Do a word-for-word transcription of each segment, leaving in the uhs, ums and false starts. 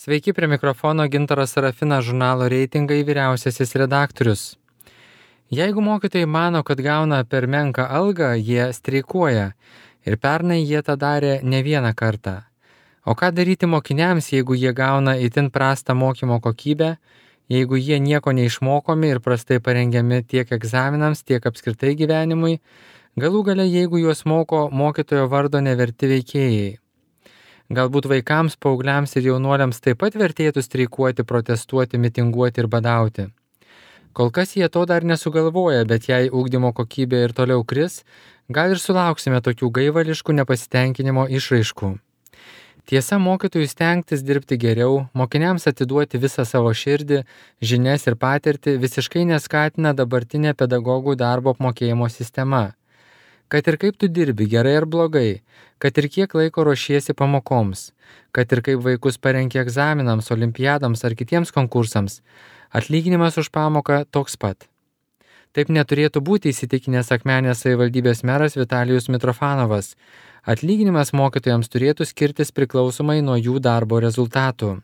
Sveiki, prie mikrofono Gintaras Sarafinas, žurnalo Reitingai vyriausiasis redaktorius. Jeigu mokytojai mano, kad gauna per menką algą, jie streikuoja. Ir pernai jie tą darė ne vieną kartą. O ką daryti mokiniams, jeigu jie gauna itin prastą mokymo kokybę, jeigu jie nieko neišmokomi ir prastai parengiami tiek egzaminams, tiek apskritai gyvenimui, galų gale jeigu juos moko mokytojo vardo neverti veikėjai. Galbūt vaikams, paaugliams ir jaunuoliams taip pat vertėtų streikuoti, protestuoti, mitinguoti ir badauti. Kol kas jie to dar nesugalvoja, bet jei ugdymo kokybė ir toliau kris, gal ir sulauksime tokių gaivališkų nepasitenkinimo išraiškų. Tiesa, mokytojų stengtis dirbti geriau, mokiniams atiduoti visą savo širdį, žinias ir patirtį visiškai neskatina dabartinė pedagogų darbo apmokėjimo sistema. Kad ir kaip tu dirbi, gerai ar blogai, kad ir kiek laiko ruošiesi pamokoms, kad ir kaip vaikus parenki egzaminams, olimpiadams ar kitiems konkursams, atlyginimas už pamoką toks pat. Taip neturėtų būti įsitikinęs Akmenės savivaldybės meras Vitalijus Mitrofanovas. Atlyginimas mokytojams turėtų skirtis priklausomai nuo jų darbo rezultatų.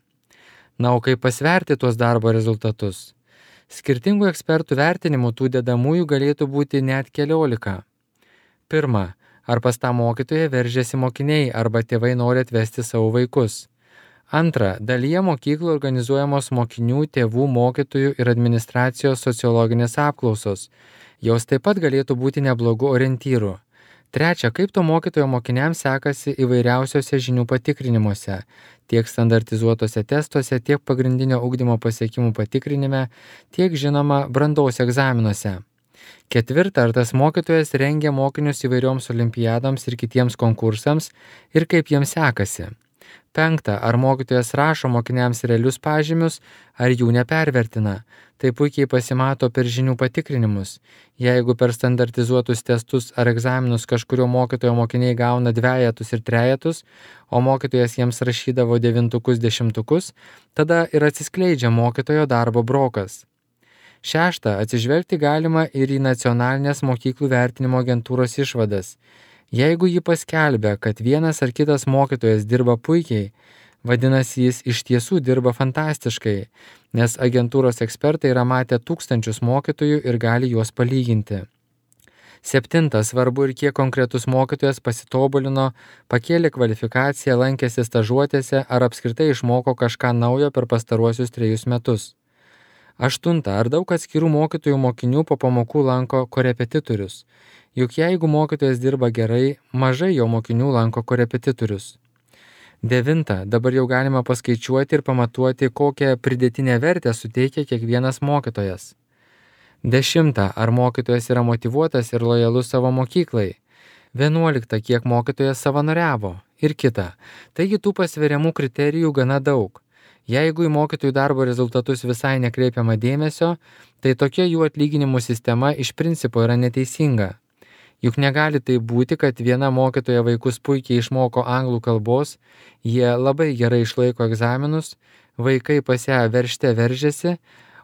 Na, o kaip pasverti tuos darbo rezultatus? Skirtingų ekspertų vertinimų tų dedamųjų galėtų būti net keliolika. Pirma, ar pas tą mokytoją veržiasi mokiniai arba tėvai nori atvesti savo vaikus. Antra, dalyje mokyklų organizuojamos mokinių, tėvų, mokytojų ir administracijos sociologinės apklausos. Jos taip pat galėtų būti neblogų orientyrų. Trečia, kaip to mokytojo mokiniams sekasi įvairiausiose žinių patikrinimuose, tiek standartizuotose testuose, tiek pagrindinio ugdymo pasiekimų patikrinime, tiek žinoma brandos egzaminuose. Ketvirta, ar tas mokytojas rengia mokinius įvairioms olimpiadoms ir kitiems konkursams ir kaip jiems sekasi. Penkta, ar mokytojas rašo mokiniams realius pažymius, ar jų nepervertina. Tai puikiai pasimato per žinių patikrinimus. Jeigu per standartizuotus testus ar egzaminus kažkurio mokytojo mokiniai gauna dvejetus ir trejetus, o mokytojas jiems rašydavo devintukus, dešimtukus, tada ir atsiskleidžia mokytojo darbo brokas. Šešta, atsižvelgti galima ir į nacionalinės mokyklų vertinimo agentūros išvadas. Jeigu ji paskelbia, kad vienas ar kitas mokytojas dirba puikiai, vadinasi jis iš tiesų dirba fantastiškai, nes agentūros ekspertai yra matę tūkstančius mokytojų ir gali juos palyginti. Septinta, svarbu ir kiek konkretus mokytojas pasitobulino, pakėlė kvalifikaciją, lankėsi stažuotėse ar apskritai išmoko kažką naujo per pastaruosius trejus metus. Aštunta, ar daug atskirų mokytojų mokinių po pamokų lanko korepetitorius. Juk jeigu mokytojas dirba gerai, mažai jo mokinių lanko korepetitorius. Devinta, dabar jau galima paskaičiuoti ir pamatuoti, kokią pridėtinę vertę suteikia kiekvienas mokytojas. Dešimta, ar mokytojas yra motyvuotas ir lojalus savo mokyklai. Vienuolikta, kiek mokytojas savanoriavo. Ir kita. Taigi tų pasveriamų kriterijų gana daug. Jeigu į mokytojų darbo rezultatus visai nekreipiama dėmesio, tai tokia jų atlyginimų sistema iš principo yra neteisinga. Juk negali tai būti, kad viena mokytoja vaikus puikiai išmoko anglų kalbos, jie labai gerai išlaiko egzaminus, vaikai pas ją veržte veržiasi,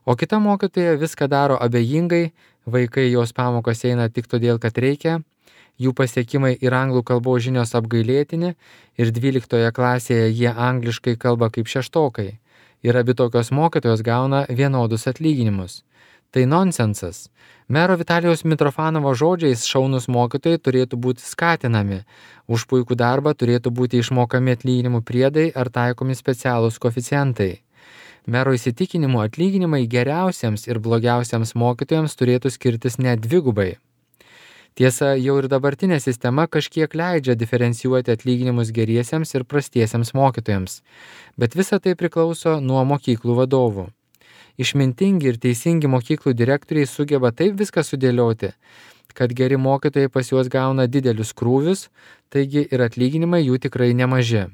o kita mokytoja viską daro abejingai, vaikai jos pamokas eina tik todėl, kad reikia, jų pasiekimai ir anglų kalbos žinios apgailėtini ir dvyliktoje klasėje jie angliškai kalba kaip šeštokai. Ir abi tokios mokytojos gauna vienodus atlyginimus. Tai nonsensas. Mero Vitalijaus Mitrofanovo žodžiais šaunus mokytojai turėtų būti skatinami. Už puikų darbą turėtų būti išmokami atlyginimų priedai ar taikomi specialūs koeficientai. Mero įsitikinimu atlyginimai geriausiems ir blogiausiams mokytojams turėtų skirtis net dvigubai. Tiesa, jau ir dabartinė sistema kažkiek leidžia diferencijuoti atlyginimus geriesiems ir prastiesiems mokytojams, bet visa tai priklauso nuo mokyklų vadovų. Išmintingi ir teisingi mokyklų direktoriai sugeba taip viską sudėlioti, kad geri mokytojai pas juos gauna didelius krūvius, taigi ir atlyginimai jų tikrai nemaži.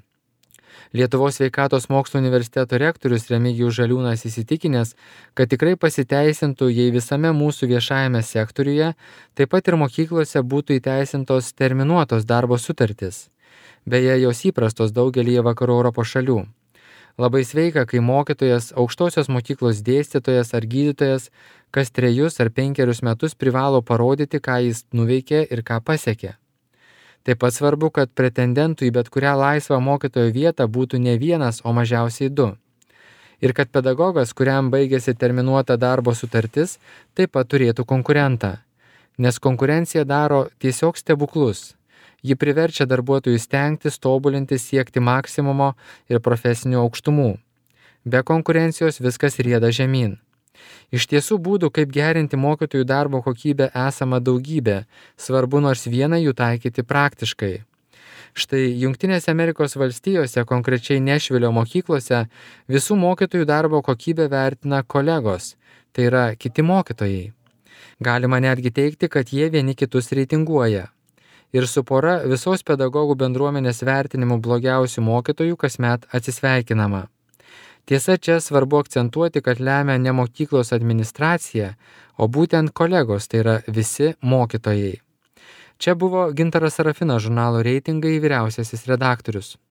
Lietuvos sveikatos mokslų universiteto rektorius Remigijus Žaliūnas įsitikinęs, kad tikrai pasiteisintų, jei visame mūsų viešajame sektoriuje, taip pat ir mokyklose būtų įteisintos terminuotos darbo sutartys. Beje, jos įprastos daugelyje vakarų Europos šalių. Labai sveika, kai mokytojas, aukštosios mokyklos dėstytojas ar gydytojas kas trejus ar penkerius metus privalo parodyti, ką jis nuveikė ir ką pasiekė. Taip pat svarbu, kad pretendentų į bet kurią laisvą mokytojo vietą būtų ne vienas, o mažiausiai du. Ir kad pedagogas, kuriam baigėsi terminuota darbo sutartis, taip pat turėtų konkurentą. Nes konkurencija daro tiesiog stebuklus. Ji priverčia darbuotojus stengtis, tobulinti, siekti maksimumo ir profesinių aukštumų. Be konkurencijos viskas rieda žemyn. Iš tiesų būdų, kaip gerinti mokytojų darbo kokybę, esama daugybė, svarbu nors vieną jų taikyti praktiškai. Štai Jungtinėse Amerikos valstijose, konkrečiai Nešvilio mokyklose, visų mokytojų darbo kokybę vertina kolegos, tai yra kiti mokytojai. Galima netgi teigti, kad jie vieni kitus reitinguoja. Ir su pora visos pedagogų bendruomenės vertinimų blogiausių mokytojų kasmet atsisveikinama. Tiesa, čia svarbu akcentuoti, kad lemia ne mokyklos administracija, o būtent kolegos, tai yra visi mokytojai. Čia buvo Gintaras Sarafinas, žurnalo Reitingai vyriausiasis redaktorius.